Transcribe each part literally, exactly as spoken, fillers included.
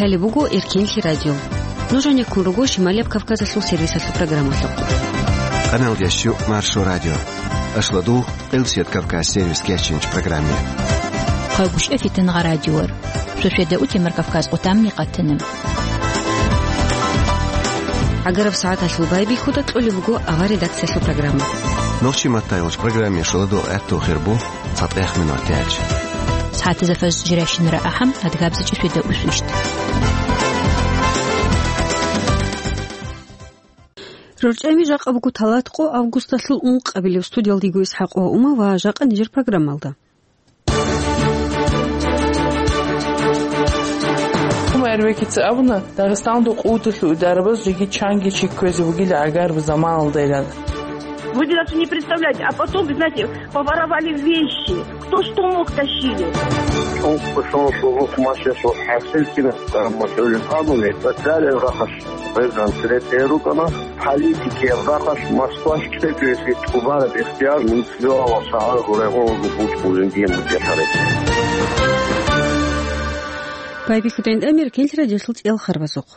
Гьале буго Эркенлъи радио. Нуж гьанеккун руго Шималияб Кавказалъул сервисалъул программалъухъ. Къаналдящу Маршо радио. Ашладул, Къилсият Кавказ сервис кечинч программе. Хъайгъушев Фитангъа радиор. Шошеда утемар Кавказ къутамни къатана. ГӀагараб сагӀаталъул байбихьуда кьолеб буго авар редакциялъул программа. Нохчи маттайолч программе шоладул гӀатту хирбу. ЦатӀех минутач. СагӀатазда фажр жирайщинара ахӀам, адгабзачӀи шведа усвищт. РорчӀами жакъа буго талатӀкъо августалъул ункъабилеб. Студиялдиго ИсхӀакъ ва Ума ва жакъа нижер программалда. Ума Эрвекица абуна, Дагъистаналда къуваталъул идарабаз жеги чанги чи кквезе вугила гӀагараб заманалдайилан. Вы даже не представляете, а потом, вы знаете, поворовали вещи. Кто что мог, тащили. Чон квешун шурухъ машеш ва хӀасил кина, амма хӀулин абуни, цӀакъарил рахаш гъезан цере тӀерукӀана, политикиял рахаш Москваш кьечӀеси тӀубараб ихтияр мунцибиалал шагьар гурегъун бучӀулин диен бутӀехъари. Байбихьудин Эркенлъи радиолъул цӀел харбазухъ.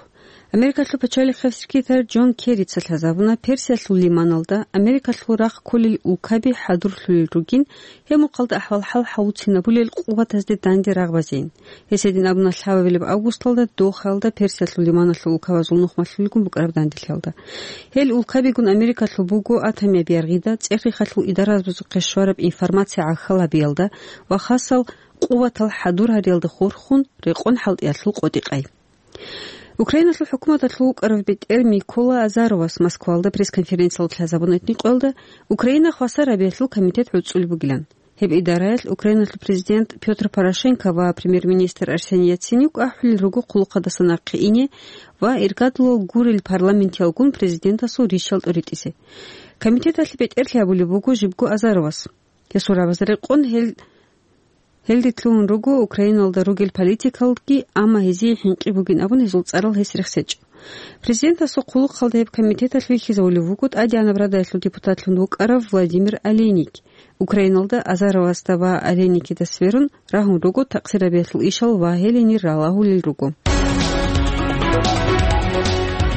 Америкалъул пачалихъав секретарь Джон Керрица лъазабуна Персиялъул лиманалда Америкалъул рахъ кколел улкаби хӀадурлъулел ругин, гьеб мухъалда ахӀвал-хӀал гьавуцинабулел къуватазде данде рагъ базейин. Гьес гьедин абуна лъабабилеб августалда Дохаялда Персиялъул лиманалъул улкабазул нухмалъулелгун букӀараб данделъиялда. Гьел улкабигун Америкалъул буго атомияб яргъида, цӀех-рехалъул идарабазухъе щвараб информация гӀахьал гьабиялда ва хасал къуватал хӀадур гьариялда хурхун рекъон хӀалтӀиялъул къотӀи-къай. Украиналъул хӀукуматалъул вукӀарав бетӀер Микола Азаровас Москвалда пресс-конференциялда лъазабуна этникъоялда Украина хвасар гьабиялъул комитет гӀуцӀулеб бугилан. Гьеб идараялъ Украиналъул президент Пётр Порошенко ва премьер-министр Арсений Яценюк ахӀулел руго хъулухъадаса нахъе ине ва иргадулал гурел парламентиялгун президентасул ришал тӀуритӀизе. Комитеталъе бетӀерлъи гьабулеб буго жибго Азаровас. Гьесул рагӀабазда рекъон гьел Гьел рилълъун руго Украиналда ругел политикалги, амма гьезие хӀинкъи бугин абун гьезул цӀарал гьес рехсечӀо. Президентасул хъулухъалда гьеб комитеталъ вихьизавулев вуго тӀадегӀанаб Радаялъул депутатлъун вукӀарав Владимир Олейник. Украиналда Азаровасда ва Олейникида сверун рагьун руго такъсир гьабиялъул ишал ва гьел гьенир ралагьулел руго.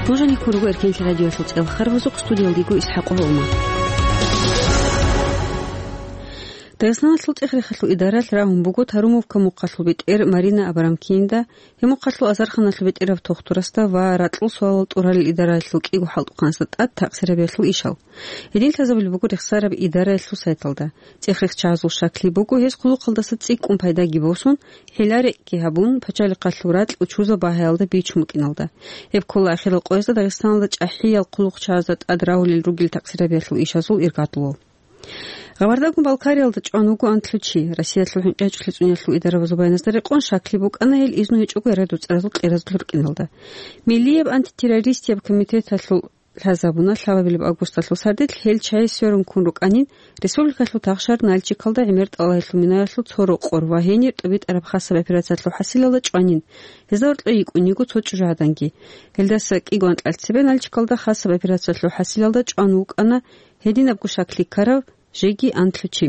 Нуж гьанеккун руго Эркенлъи радиоялъул цӀел харбазухъ, студиялдиго ИсхӀакъ ва Ума. Дагъистаналъул цӀех-рехалъул идаралъ рагьун буго Тарумовка мухъалъул бетӀер Марина Абрамкинда, гьеб мухъалъул азарханалъул бетӀерав тухтурасда ва ракьул суалал тӀуралел идараялъул кӀиго хӀалтӀухъанасда тӀад такъсир гьабиялъул ишал. Гьедин лъазабулеб буго рехсараб идараялъул сайталда. ЦӀех-рехчагӀазул щаклъи буго, гьез хъулухъалдаса цӀикӀкӀун пайдаги босун, хӀила-рекӀкӀи гьабун, пачалихъалъул ракьул чузаб багьаялда бичун букӀиналда. Гьеб ккола ахирал къоязда Дагъистаналда чӀахӀиял хъулухъчагӀазда тӀад рагьулел ругел такъсир гьабиялъул ишазул иргадулал. Гъабардагун Балкариялда чӀван вуго анлъго чи. Россиялъул хӀинкъи гьечӀолъи цӀуниялъул идарабазул баяназда рекъон, щаклъи букӀана гьел изну гьечӀого яра дуцӀаразул кьеразул рукӀиналда. Миллияб антитеррористияб комитеталъул лъазабуна лъабабилеб августалъул сардилъ гьел чагӀи сверун ккун рукӀанин, республикалъул Тахшар, Нальчикалда гӀемер тӀалабилъул минаялъул цо рокъор ва гьенир тӀубитӀараб хасаб операциялъул хӀасилалда чӀванин. Гьезда гьоркье йикӀун йиго цо чӀужугӀаданги. Гьелдаса кӀиго анкьал цебе Нальчикалда хасаб операциялъул хӀасилалда чӀван вукӀана гьединабго щаклъи ккарав жеги анлъго чи.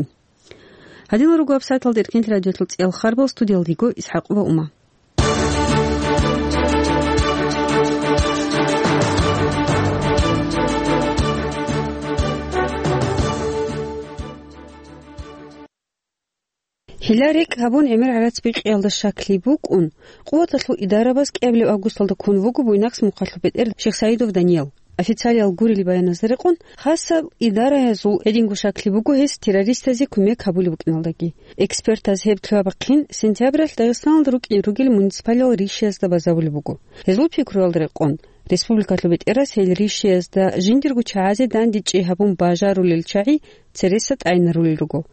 Гьадинал руго вебсайталда Эркенлъи радиоялъул цӀел харбал, студиялдиго ИсхӀакъ ва Ума. ХӀила-рекӀ гьабун гӀемер гӀарац бикъиялда щаклъи букӀун, Къуваталъул идарабаз кӀиабилеб августалда ккун вуго Буйнакск мухъалъул бетӀер Шихсаидов Даниял. Официалиял гурел баяназда рекъон, хасаб идараязул гьединго щаклъи буго гьес террористазе кумек гьабулеб букӀиналдаги. Экспертаз гьеб лъугьа-бахъин сентябралъ Дагъистаналда рукӀине ругел муниципалиял ришиязда базарулеб буго. Гьезул пикруялда рекъон, республикалъул бетӀерас гьел ришиязда жиндирго чагӀазе дандечӀей гьабун бажарулел чагӀи цереса тӀайинарулел руго,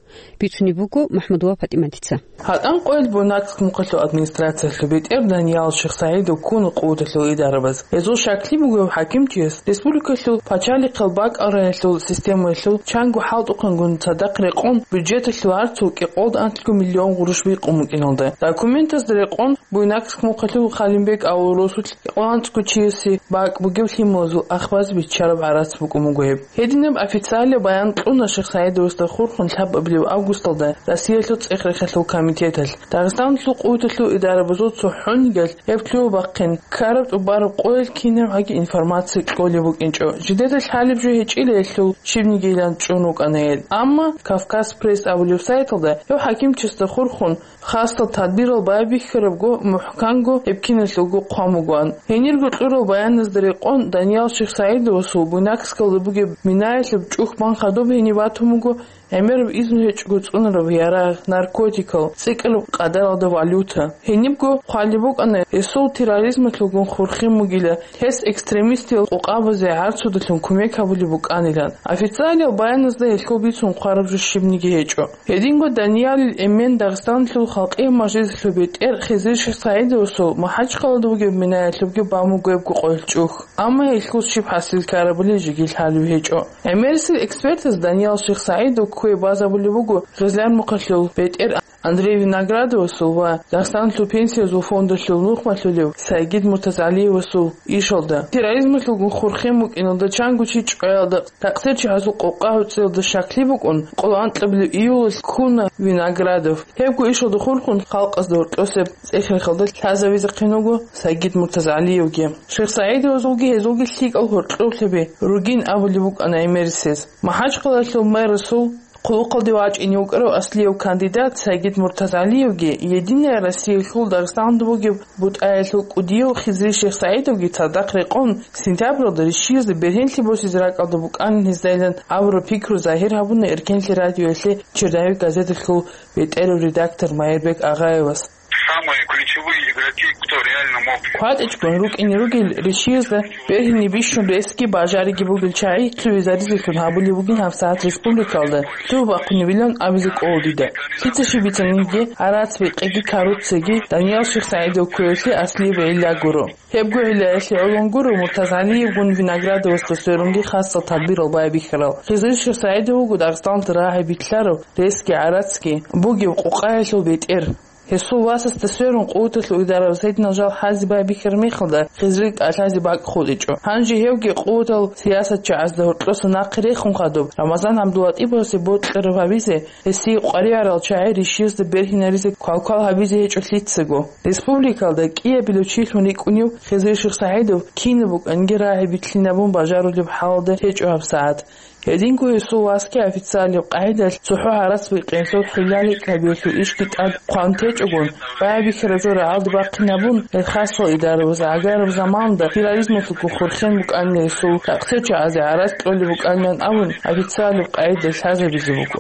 бицунеб буго МахӀмудова ПатӀиматица. ГьатӀан къоялъ Буйнакск мухъалъул администрациялъул бетӀер Даниял Шихсаидов ккуна къуваталъул идарабаз. Гьезул щаклъи бугеб хӀакимчияс республикалъул пачалихъал бакӀал раялъул системаялъул чанго хӀалтӀухъангун цадахъ рекъон бюджеталъул гьарцул кӀикъолда анлъго миллион гъурущ бикъун букӀиналда. Документазда рекъон Буйнакск мухъалъул Халимбек авул росулъ кӀикъоялда анцӀго чиясе бакӀ бугеб лъималазул ахбазе биччараб гӀарац букӀун буго гьеб. Гьединаб официалияб баян кьуна Шихсаидов Саидовасда хурхун лъабабилеб августалда Россиялъул цӀех-рехалъул комитеталъ, Дагъистаналъул къуваталъул идарабазул цохӀонигалъ гьеб лъугьа-бахъин ккараб тӀубараб къоялъ кинабгӀаги информация кьолеб букӀинчӀо. Жидеда лъалеб жо гьечӀила гьелъул щибнигилан чӀун рукӀана гьел. Амма Кавказ Пресс абулеб сайталда гьев хӀакимчиясда хурхун хасал тадбирал байбихьарабго, мухӀканго гьеб киналъулго хъван бугоан. Гьенирго кьурал баяназда рекъон, Даниял Шихсаидовасул Буйнакскалда бугеб минаялъуб чӀухь бан хадуб гьенив батун буго гӀемераб изну гьечӀого цӀунараб ярагъ, наркотикал, цӀикӀкӀараб къадаралда валюта. Гьенибго хъвалеб букӀана гьесул терроризмалъулгун хурхин бугила, гьес экстремистиял къокъабазе гӀарцудалъун кумек гьабулеб букӀанилан. Официалиял баяназда гьелъул бицун хъвараб жо щибниги гьечӀо. Гьединго Даниялил эмен Дагъистаналъул халкъиял мажлисалъул бетӀер Хизри Шихсаидовасул МахӀачхъалада бугеб минаялъубги бан буго гьебго къоялъ чӀухь. Амма гьелъул щиб хӀасил ккарабали жеги лъалеб гьечӀо. ГӀемерисел экспертаз Даниял Шихсаидов кквей базабулеб буго Гъизлярмухъалъул бетӀер Андрей Виноградовасул ва Дагъистаналъул пенсиязул фондалъул нухмалъулев Сайгид Муртазалиевасул ишалда. Терроризмалъулгун хурхин букӀиналда чанго чи чӀваялда, такъсирчагӀазул къокъа гӀуцӀиялда щаклъи букӀун, къоло анкьабилеб июлалъ ккуна Виноградов. Гьебго ишалда хурхун халкъазда гьоркьосеб цӀех-рехалда лъазавизехъин вуго Сайгид Муртазалиевги. Шихсаидовазулги гьезулги лъикӀал гьоркьоблъиби ругин абулеб букӀана гӀемерисез. МахӀачхъалалъул мэрасул хъулухъалде вачӀине вукӀарав аслияб кандидат Сайгид Муртазалиевги, Единая Россиялъул Дагъистаналда бугеб бутӀаялъул кӀудияв Хизри Шихсаидовги цадахъ рекъон, сентябралда рищиязда бергьенлъи босизе ракӀалда букӀанин гьездайилан абураб пикру загьир гьабуна Эркенлъи радиоялъе Черновик газеталъул бетӀерав редактор Майрбек Агъаевас. Самые ключевые игроки, кто реально мог... КватӀичӀгун рукӀине ругел рищиязда бергьине бищун ресги бажариги бугел чагӀи лъугӀизаризелъун гьабулеб бугин гьабсагӀат республикалда лъугьа-бахъунебилан абизе кӀола дида. Лъица щиб бицаниги, гӀарац-бикъиги коррупцияги Даниял Шихсаидов кквеялъе аслияб гӀилла гуро. Гьебго гӀиллаялъе гӀолон гуро Муртазалиевгун Виноградовасда сверунги хасал тадбирал байбихьарал. Хизри Шихсаидов вуго Дагъистаналда рагӀи битӀараб ресги гӀарацги бугеб къокъаялъул бетӀер. Гьесул васасда сверун къуваталъул идарабаз гьединал жал хӀазе байбихьараб мехалда, Хизрил тӀалъазе бакӀ хутӀичӀо. Гьанже гьевги къуватал сиясатчагӀазда гьоркьоса нахъе рехун хадуб, Рамазан ГӀабдулатӀиповасе бокьараб гьабизе, гьесие къваригӀарал чагӀи рищиязда бергьинаризе квалквал гьабизе гьечӀо лъицаго. Республикалда кӀиабилев чилъун рикӀкӀунев Хизри Шихсагьидов кинаб букӀанги рагӀи битлъинабун бажарулеб хӀалалда гьечӀо гьабсагӀат. Гьединго гьесул васги официалияб къагӀидалъ цохӀо гӀарац-бикъиялъул хӀилла-рикӀкӀабиялъул ишги тӀад хъван течӀогун, байбихьараб жо рагӀалде бахъинабун, гьел хасал идарабаз гӀагараб заманалда терроризмалъулгун хурхен букӀанила гьесул, такъсирчагӀазе гӀарац кьолеб букӀанилан абун, официалияб къагӀидаялъ лъазабизе буго.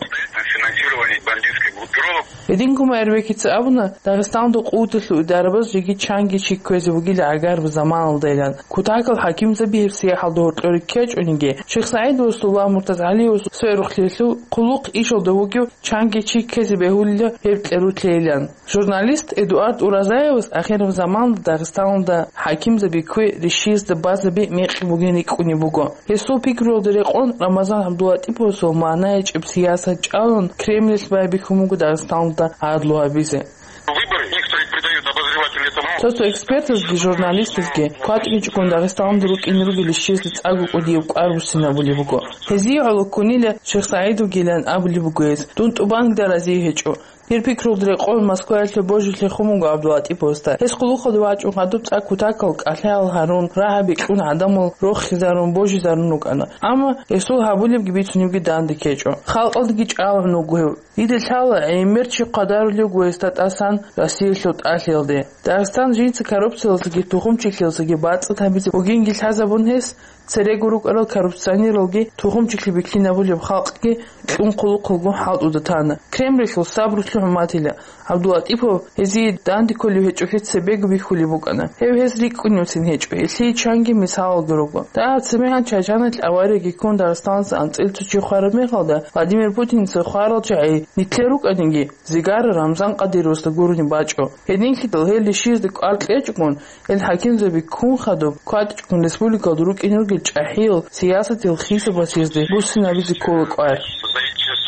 Финансирование бандитских группировок. Гьединго Майрбекица абуна, Дагъистаналда къуваталъул идарабаз жеги чанги чи кквезе бугила гӀагараб заманалдайилан. Кутакал хӀакимзаби гьеб сияхӀалда гьоркьоре ккечӀониги, Шихсагьидовасул ва Муртазгьалиевасул сверухълъиялъул хъулухъ ишалда вугев чанги чи ккезе бегьулила гьеб кьерутлъейилан. Журналист Эдуард Уразаевас ахираб заманалда Дагъистаналда хӀакимзаби кквей рищиязда базаби мекъи бугин рикӀкӀунеб буго. Гьесул пикруялда рекъон, Рамазан ГӀабдулатӀиповасул магӀна гьечӀеб сиясат чӀалун, Кремльалъ байбихьун буго Дагъистаналда гӀадлу гьабизе. Выборы некоторые придают обозреватели этому. Цо-цо экспертазги журналистазги кватӀичӀогун Дагъистаналда рукӀине ругел рищиязда цӀакъго кӀудияб кӀвар буссинабулеб буго. Гьезие гӀоло ккунила Шихсагьидовгилан абулеб буго гьез, дун тӀубанилан разие гьечӀо. Гьеб пикруялда рекъон, Москваялъе божи лъехун буго ГӀабдулатӀиповасда. Гьес хъулухъалде вачӀун хадуб цӀакъ кутакал кӀалъаял гьарун, рагӀаби кьун гӀадамал рохизарун, божизарун рукӀана. Амма гьесул гьабулебги бицунебги данде ккечӀо. Халкъалдаги чӀалгӀун вуго гьев. Дида лъала, гӀемер чи хъвадарулев вуго гьесда тӀасан Россиялъул тӀалъиялде. Дагъистан жинца коррупциялдасаги тухумчилъиялдасаги бацӀцӀад гьабизе бугинги лъазабун гьес, церего рукӀарал коррупционералги тухумчилъи биклъинабулеб халкъги кьун хъулухъалгун хӀалтӀуда тана. Кремльалъул сабрулъе хӀурматила, ГӀабдулатӀипов гьезие данде кколев гьечӀолъи цебего бихьулеб букӀана. Гьев гьез рикӀкӀуневцин гьечӀо, гьелъие чанги мисалалги руго. Дагьаб цебегӀан Чачаналъ аварияги ккун Дагъистаналъуса анцӀила цо чи хвараб мехалда, Владимир Путинца хварал чагӀи нилъер рукӀаниги, Зигара Рамзан Къадировасда гурони бачӀо. Гьединлъидал гьел рищиязда кӀвар кьечӀогун, гьел хӀакимзаби ккун хадуб, кватӀичӀгун республикалда рукӀине ругел чӀахӀиял сиясатиял хисабалъ гьезда буссинабизе ккола кӀвар.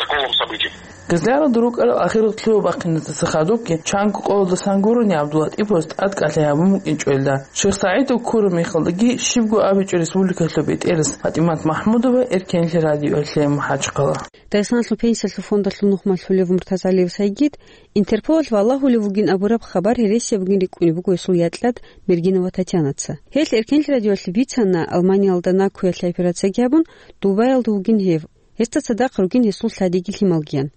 Полном событии. Газлиялда рукӀарал ахирал лъугьа-бахъиназда хадубги, чанго къоялдасан гурони ГӀабдуллатӀиповас тӀадкӀалъи гьабун букӀинчӀо гьелда. Шихсагьидов ккураб мехалдаги щибго абичӀо республикалъул бетӀерас ПатӀимат МахӀмудова, Эркенлъи радиоялъе, МахӀачхъала. Дагъистаналъул пенсиялъул фондалъул нухмалъулев Муртазалиев Сайгид Интерполалъ валагьулев вугин абураб хабар гьересияб бугин рикӀкӀунеб буго гьесул якьад Мергинова Татьянаца. Гьелъ Эркенлъи радиоялъе бицана, Алманиялда накуялъе операцияги гьабун, Дубаялда вугин гьев. Гьесда цадахъ ругин гьесул лъадиги лъималгиян.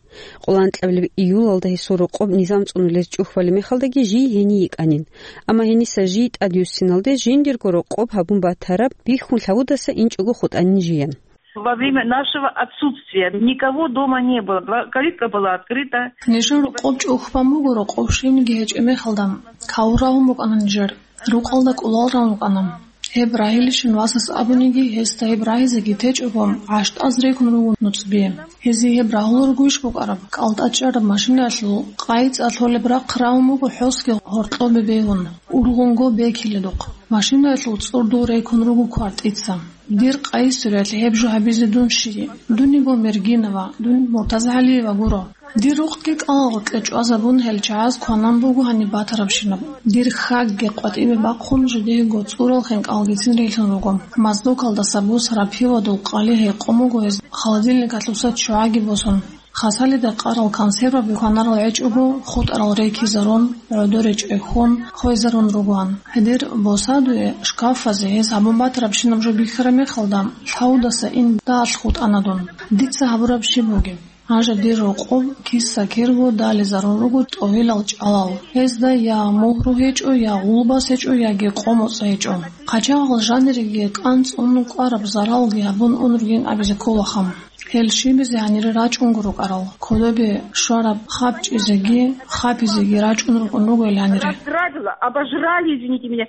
Къоло анкьабилеб июлалда гьесул рокъоб низам цӀунулез чӀухь балеб мехалдаги жий гьенив йикӀанин. Амма гьениса жий тӀадвуссиналде жиндирго рокъоб гьабун батараб бихьун лъавудаса инчӀого хутӀанин жиян. Во время нашего отсутствия никого дома не было. Два-, калитка была открыта. Нижер рокъоб чӀухь бан буго, рокъоб щивниги гьечӀеб мехалда, каву рагьун букӀана нижер. Рукъалда кӀулал ран рукӀана. Гьеб рагьилищин васас абуниги, гьесда гьеб рагьизеги течӀого, гӀащтӀаз рекун руго нуцӀби. Гьезие гьеб рагьулел ругойищ букӀараб? КӀалтӀа чӀараб машинаялъул къайи цӀа лъолеб рахъ рагьун буго хӀосги гьоркьобе бегьун, ургъунго бекиледухъ. Машинаялъул цӀурдул рекун руго квартица. Дир къайи суриялъ гьеб жо гьабизе дун щий? Дун йиго Мергинова, дун Муртазагьалиева гуро. Дир рухъги кӀалагъоркье чӀвазабун, гьел чагӀаз кванан буго гьаниб батарабщинаб. Дир хьагги къватӀибе бахъун, жидеего цӀурал хинкӀалгицин релълъун руго. Моздокалдаса бусараб пивадул къали гьекъон буго гьез, холодильникалъуса ччугӀаги босун. Хасалида къарал консерваби кванарал гӀечӀого, хутӀарал рекизарун, гӀодоре чӀехьон, хвезарун ругоан. Гьедер босадуе шкафазе гьез гьабун батарабщинаб жо бихьараб мехалда, лъавудаса ин далъ хутӀана дун. Дица гьабураб щиб бугеб? Гьанже дир рокъоб киса-кирго дализарун руго тӀогьилал чӀалал. Гьезда я мугьру гьечӀо, я гъулбас гьечӀо, яги къо-моцӀ гьечӀо. ХъачагӀал жаниреги кӀанцӀун кӀвараб заралги гьабун ун ругин абизе кколаха. Гьел щибизе гьанире рачӀунго рукӀарал, кодобе щвараб хапчӀизеги хапизеги рачӀун рукӀун руго гьел гьанире. Разграбила, обожрали, извините меня.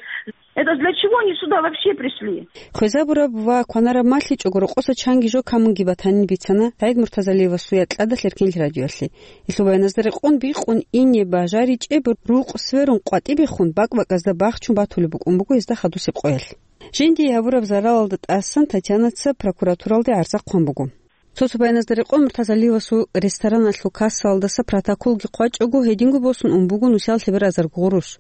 Это для чего они сюда вообще пришли? Хвезабураб ва кванараб малъичӀого рокъоса чанги жо камунги батанин бицана СагӀид Муртазалиевасул якьадалъ Эркенлъи радиоялъе. Гьелъул баяназда рекъон бикъун ине бажаричӀеб рукъ сверун къватӀибехун бакӀ-бакӀазда бахчун батулеб букӀун буго гьезда хадусеб къоялъ. Жиндие гьабураб заралалда тӀасан Татьянаца прокуратуралде гӀарза хъван буго. Цо-цо баяназда рекъон Муртазалиевасул рестораналъул кассалдаса протоколги хъвачӀого, гьединго босун ун буго нусиялъе беразарго гъурущ.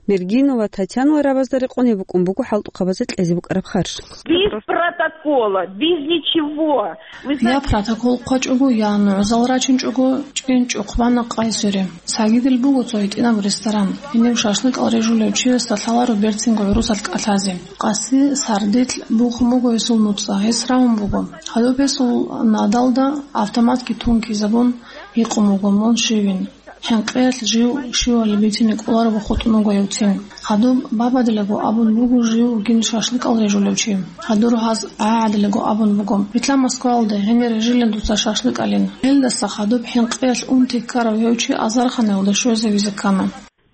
Мергинова Татьянала рабазда рекъон гьеб букӀун буго хӀалтӀухъабазе кьезе букӀараб харж. Без протокола, без ничего. Вы Я знаете, протокол хъвачӀого, я нугӀзал рачинчӀого, чӀинчӀухъ бана къайсуре. Цогидал буго цо гьитӀинаб ресторан. Гьенив шашлыкъал режулев чиясда лъаларо берцинго гӀурусалъ кӀалъазе. Къаси сардилъ бухун буго гьесул нуцӀа, гьес рагьун буго. Гьадуб гьесул надалда автоматги тункизабун гьикъун буго: «Мун щивин?» ХӀинкъиялъ жив щивали бицине кӀоларого хутӀун вуго гьев цин. Гьадуб бабаделаго абун буго жив вугин шашлыкъал режулев чи. Гьадур гьаз гӀагӀаделаго абун буго: «Битла Москвалде, гьенир режилин дуца шашлыкъалин». Гьелдаса хадуб хӀинкъиялъ унти ккарав гьев чи азарханаялда щвезавизе ккана.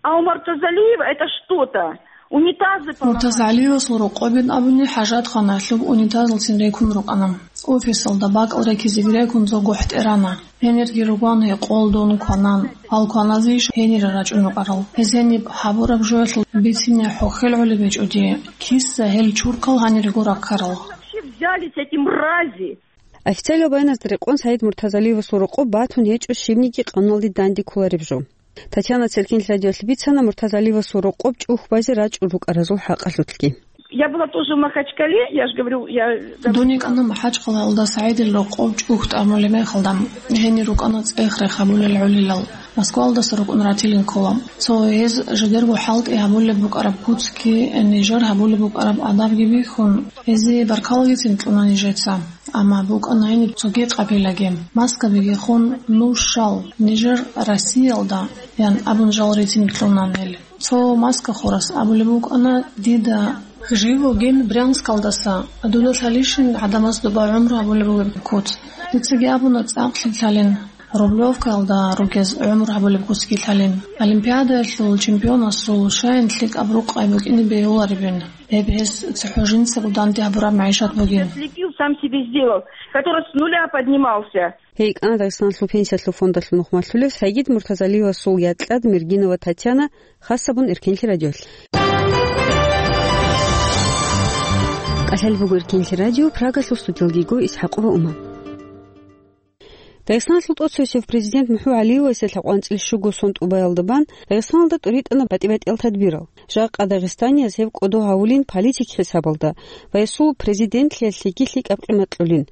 А у Муртазалиева это что-то. Унитазы поломали. Муртазалиевасул рокъобин абуни хӀажатханаялъуб унитазалцин рекун рукӀана. Офисалда бакӀал рекизеги рекун цо гохӀ тӀерана. Гьенирги ругоан гьекъолдун кванан, гьал кваназейищ гьенире рачӀун рукӀарал. Гьез гьениб гьабураб жоялъул бицине хӀухьел гӀолеб гьечӀо дие. Киса гьел чуркал гьанирего раккарал. Вообще взялись эти мрази? Официалиял баяназда рекъон СагӀид Муртазалиевасул рокъоб батун гьечӀо щибниги къануналде данде кколареб жо. Татьяна Церкин радиоялъе бицана Муртазалиевасул рокъоб чӀухь базе рачӀун рукӀаразул хӀакъалъулъги. Я была тоже в Махачкале, я ж говорю, я Дун йикӀана МахӀачхъалаялда СагӀидил рокъоб чӀухь тӀамулеб мехалда, гьенир рукӀана цӀех-рех гьабулел гӀолилал. Москвалдаса рукӀун ратилин ккола. Цо гьез жидерго хӀалтӀи гьабулеб букӀараб куцги, нижер гьабулеб букӀараб адабги бихьун, гьезие баркалагицин кьуна нижеца. Амма букӀана гьениб цоги къапилаги. Маскабиги хун, нуж щал, нижер Россиялда, ян абун жал рицин кьуна гьел. Цо маска хурас абулеб букӀана дида: «Жив вугин Брянскалдаса, дуда лъалищин гӀадамаз доба гӀумру гьабулеб бугеб куц?» Дицаги абуна: «ЦӀакълъи лъалин, Рублевкаялда ругез гӀумру гьабулеб куцги лъалин. Олимпиадаялъул чемпионасул щайин лъикӀаб рукъай букӀине бегьуларебин, гьеб гьес цохӀо жинцаго данде гьабураб магӀишат бугин». Слепил, сам себе сделал, который с нуля поднимался. Гьей кӀана Дагъистаналъул пенсиялъул фондалъул нухмалъулев СагӀид Муртазалиевасул якьад Мергинова Татьяна, хасабун Эркенлъи радиоялъ. КӀалъал буго Эркенлъи радио, Прагалъул студиялги йиго ИсхӀакъова Ума. Дагъистаналъул тӀоцевесев президент МухӀу ГӀалиевасе лъабкъоялда анцӀила щуго сон тӀубаялда бан Дагъистаналда тӀуритӀана батӀи-батӀиял тадбирал. Жакъа дагъистанияз гьеб кӀодо гьавулин политик хӀисабалда ва гьесул президентлъиялъеги лъикӀаб къимат кьолин.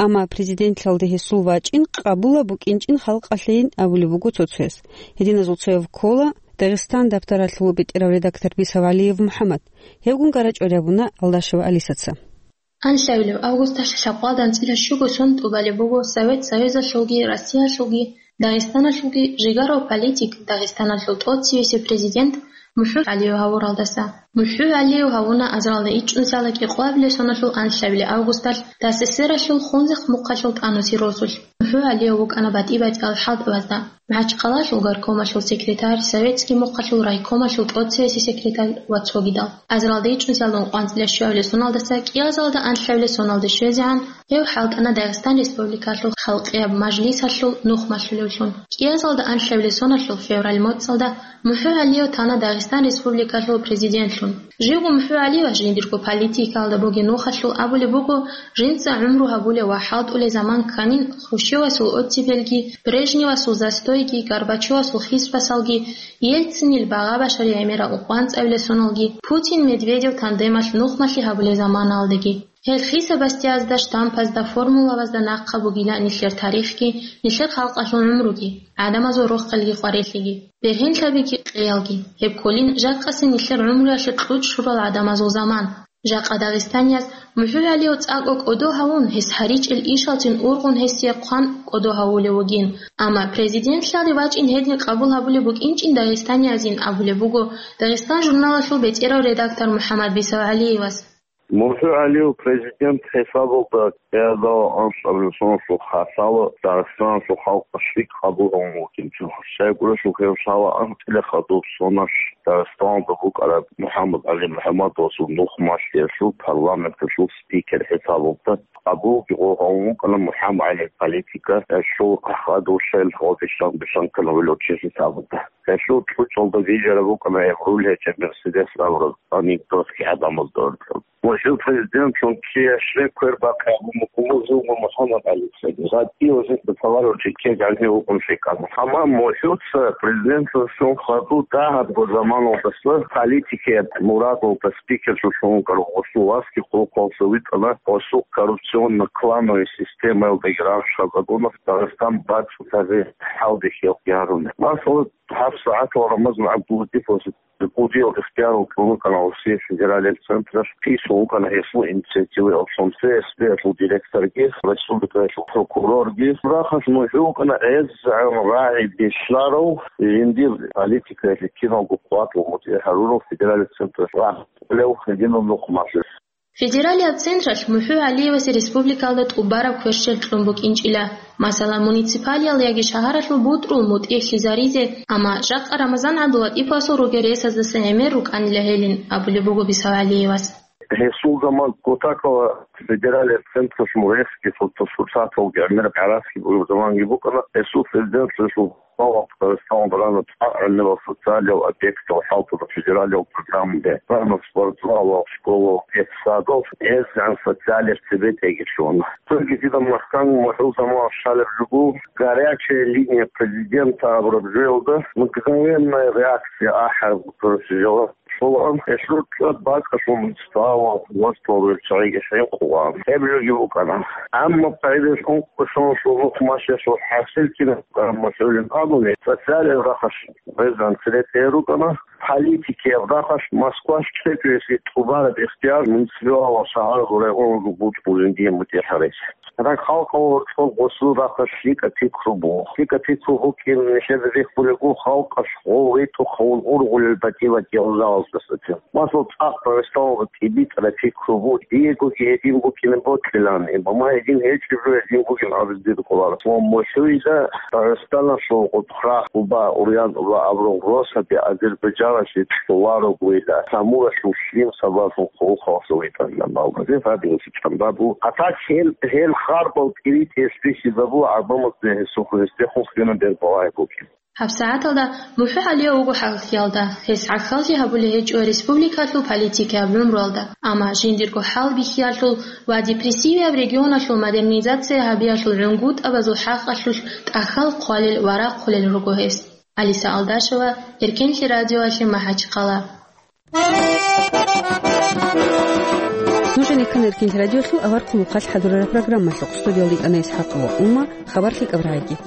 Амма президентлъиялде гьесул вачӀин къабулаб букӀинчӀин халкъалъейин абулеб буго цо-цояс. Гьединазул цояв ккола Дагъистан дабтаралъул бетӀерав редактор Бисав ГӀалиев МухӀаммад. Гьевгун гара чӀвари абуна Алдашева Алисаца. Анлъабилеб августалъ лъабкъоялда анцӀила щуго сон тӀубалеб буго Совет Союзалъулги Россиялъулги Дагъистаналъулги жигарав политик, Дагъистаналъул тӀоцевесев президент МухӀу ГӀалиев гьавуралдаса. МухӀу ГӀалиев гьавуна азаралда ичӀнусиялда кӀикъоабилеб соналъул анлъабилеб августалъ ТССРалъул Хунзахъ мухъалъул тӀанусиялъ росулъ. МухӀу ГӀалиев вукӀана батӀи-батӀиял хӀалтӀабазда: МахӀачхъалаялъул горкомалъул секретарь, советский мухъалъул райкомалъул тӀоцевесев секретарь ва цогидал. Азаралда ичӀнусиялда ункъоялда анцӀила щуабилеб соналдаса кӀиазалда анлъабилеб соналде щвезегӀан гьев хӀалтӀана Дагъистан Республикалъул халкъияб мажлисалъул нухмалъулевлъун. КӀиазалда анлъабилеб соналъул февраль моцӀалда МухӀу ГӀалиев тана Дагъистан Республикалъул президентлъун. Живго МухӀу ГӀалиевас жиндирго политикаялда бугеб нухалъул абулеб буго, жинца гӀумру гьабулев ва хӀалтӀулев заман кканин Хрущевасул оттепельги, Брежневасул застойги, Горбачевасул хиспасалги, Ельцинил багъа-башарил гӀемерал ункъоялда анцӀабилеб соналги, Путин-Медведев тандемалъ нухмалъи гьабулеб заманаялдаги. Гьел хисабасдиязда, штампазда, формулабазда нахъа бугила нилъер тарихги, нилъер халкъалъул гӀумруги, гӀадамазул рохелги къварилъиги, бергьенлъабиги къеялги. Гьеб кколин жакъасеб нилъер гӀумруялъе кьучӀ щурал гӀадамазул заман. Жакъа дагъистанияз МухӀу ГӀалиев цӀакъго кӀодо гьавун, гьес гьаричӀел ишалцин ургъун гьесие хъван кӀодо гьавулев вугин. Амма президентлъиялде вачӀин гьедин къабул гьабулеб букӀинчӀин дагъистаниязин абулеб буго Дагъистан журналалъул бетӀерав редактор МухӀаммад Бисав ГӀалиевас. МухӀу ГӀалиев президент хӀисабалда кӀиазда анлъабилеб соналъул хасало Дагъистаналъул халкъалъ лъикӀ къабул гьавун вукӀинчӀо. Щайгурелъул гьев лъала анцӀила хадуб соналъ Дагъистаналда букӀараб МухӀаммад ГӀали МухӀаммадовасул нухмалъиялъул парламенталъул спикер хӀисабалда, къабулги гьев гьавун вукӀана МухӀаммад ГӀалияб политика, гьелъул ахӀдолъаял гьав бищун-бищун ккана гьелъул чи хӀисабалда. Гьелъул кьучӀалда бижараб букӀана гьеб руль гьечӀеб Мерседес абураб анекдотги гӀадамазда уркьаб. Ва жив президентлъун кияшлъе квербахъи абун букӀун буго МухӀаммад ГӀалица. ГъатӀи ва жинца товарищ ккеги гӀанив вукӀун лъикӀаб. Амма МухӀуца президентлъун хадуб дагьабго заманалдаса политикияб мурадалда спикерлъун вукӀарав гъосул васги хъулухъалъа витӀана гъосул коррупционно-клановый системаялдаги рагъ щвезабуна Дагъистан бацӀцӀадаб хӀалде хӀалкъи гьаруна. Масала, гьабсагӀатал Рамазан ГӀабдуллатиповас кӀудиял ихтияр кьун вукӀана Россия федералияб централъ, писун вукӀана гьесул инициативаялъун ФСБ-ялъул директорги, республикаялъул прокурорги. Рахъалъ МухӀу вукӀана гӀезегӀан рагӀи бихьарав, жиндир политикаялъе киналго къватӀив мутӀигӀ гьарурав федералияб централъ рагъ кьолев гьединав нухмалъи. Федералияб централъ МухӀу ГӀалиевасе республикаялда тӀубараб кверщел кьун букӀинчӀила, масала, муниципалиялда яги шагьаралъул бутӀрул мутӀигӀлъизаризе, амма жакъа Рамазан ГӀабдуллатиповасул ругел ресаздаса гӀемер рукӀанила гьелин, абулеб буго Бисав ГӀалиевас. Гьесул заман Кутакова федералияб централъ муресги, фото-сурсаталги гӀемер гӀарацги бугеб заманги букӀана, гьесул президентлъиялъул Дагъистаналда рана цӀакъ гӀемерал социалиял объектал хӀалтӀуна федералиял программаде, рана спортзалал, школал, детсадал, гӀезегӀан социалияб цебетӀеги лъугьана. Цоги дида махкан МухӀул заман щалеб жо буго, «Горячая линия президента» абураб жоялда «Мгновенная реакция» ахӀараб, короче, жо. Щолаан гьелъул цӀад бакӀалъул муниципалал власталъул руччабиги хӀинкъулаан. Гьеб жоги букӀана. Амма къайдалъун кӀушун шулухъ машалъул хӀасил кинаб букӀараб МухӀулин абуни, социалияб рахъалъ гӀезегӀан цере тӀерукӀана, политикияб рахъалъ Москвалъ кьечӀоясе тӀубараб ихтияр муниципалалъул шагьаралъул районазул бутӀрулин дие мутӀигӀ гьаризе. Рагъ халкъалъул гьоркьоб гъосул рахъалъ лъикӀаб пикру буго. ЛъикӀаб пикру букӀин нилъеда рехулего, халкъалъ гъов ветӀухъавун ургъулел батӀи-батӀиял жалаздасацин. Масала, цӀакъ Дагъистаналда тӀибитӀараб пикру буго, диегоги гьедин букӀине бокьилан, амма гьедин гьечӀеб жо гьедин бугин абизе дир кӀоларо. Ва МухӀуйда Дагъистаналъул гъутӀхърахъ, Куба, Урьянкъба абурал росаби Азербайджаналъе кьоларогойила, Самуралъул лъим сабаблъун хъулухъалъув витӀарилан балгъазе гьабизе чӀамбабу. А так гьел, гьел харбал тӀиритӀиялъ бихьизабула гӀадамазда гьесухъ гьесдехун хьуна бербалай букӀин. ГьабсагӀаталда МухӀу ГӀалиев вуго хӀалхьиялда, гьес гӀахьаллъи гьабулеб гьечӀо республикалъул политикияб гӀумруялда, амма жиндирго хӀалбихьиялъул ва депрессивияб регионалъул модернизация гьабиялъул гӀунгутӀабазул хӀакъалъулъ тӀахьал хъвалел ва рахъулел руго гьес. Алиса Алдашева, Эркенлъи радиоялъе МахӀачхъала. Нуж гьанир ккана Эркенлъи радиолъул аварагасул хъалхъ хӀадурараб программалъухъ. Студиялда йикӀана ИсхӀакъова Умма, хабар лъикӀаб рагӀиги.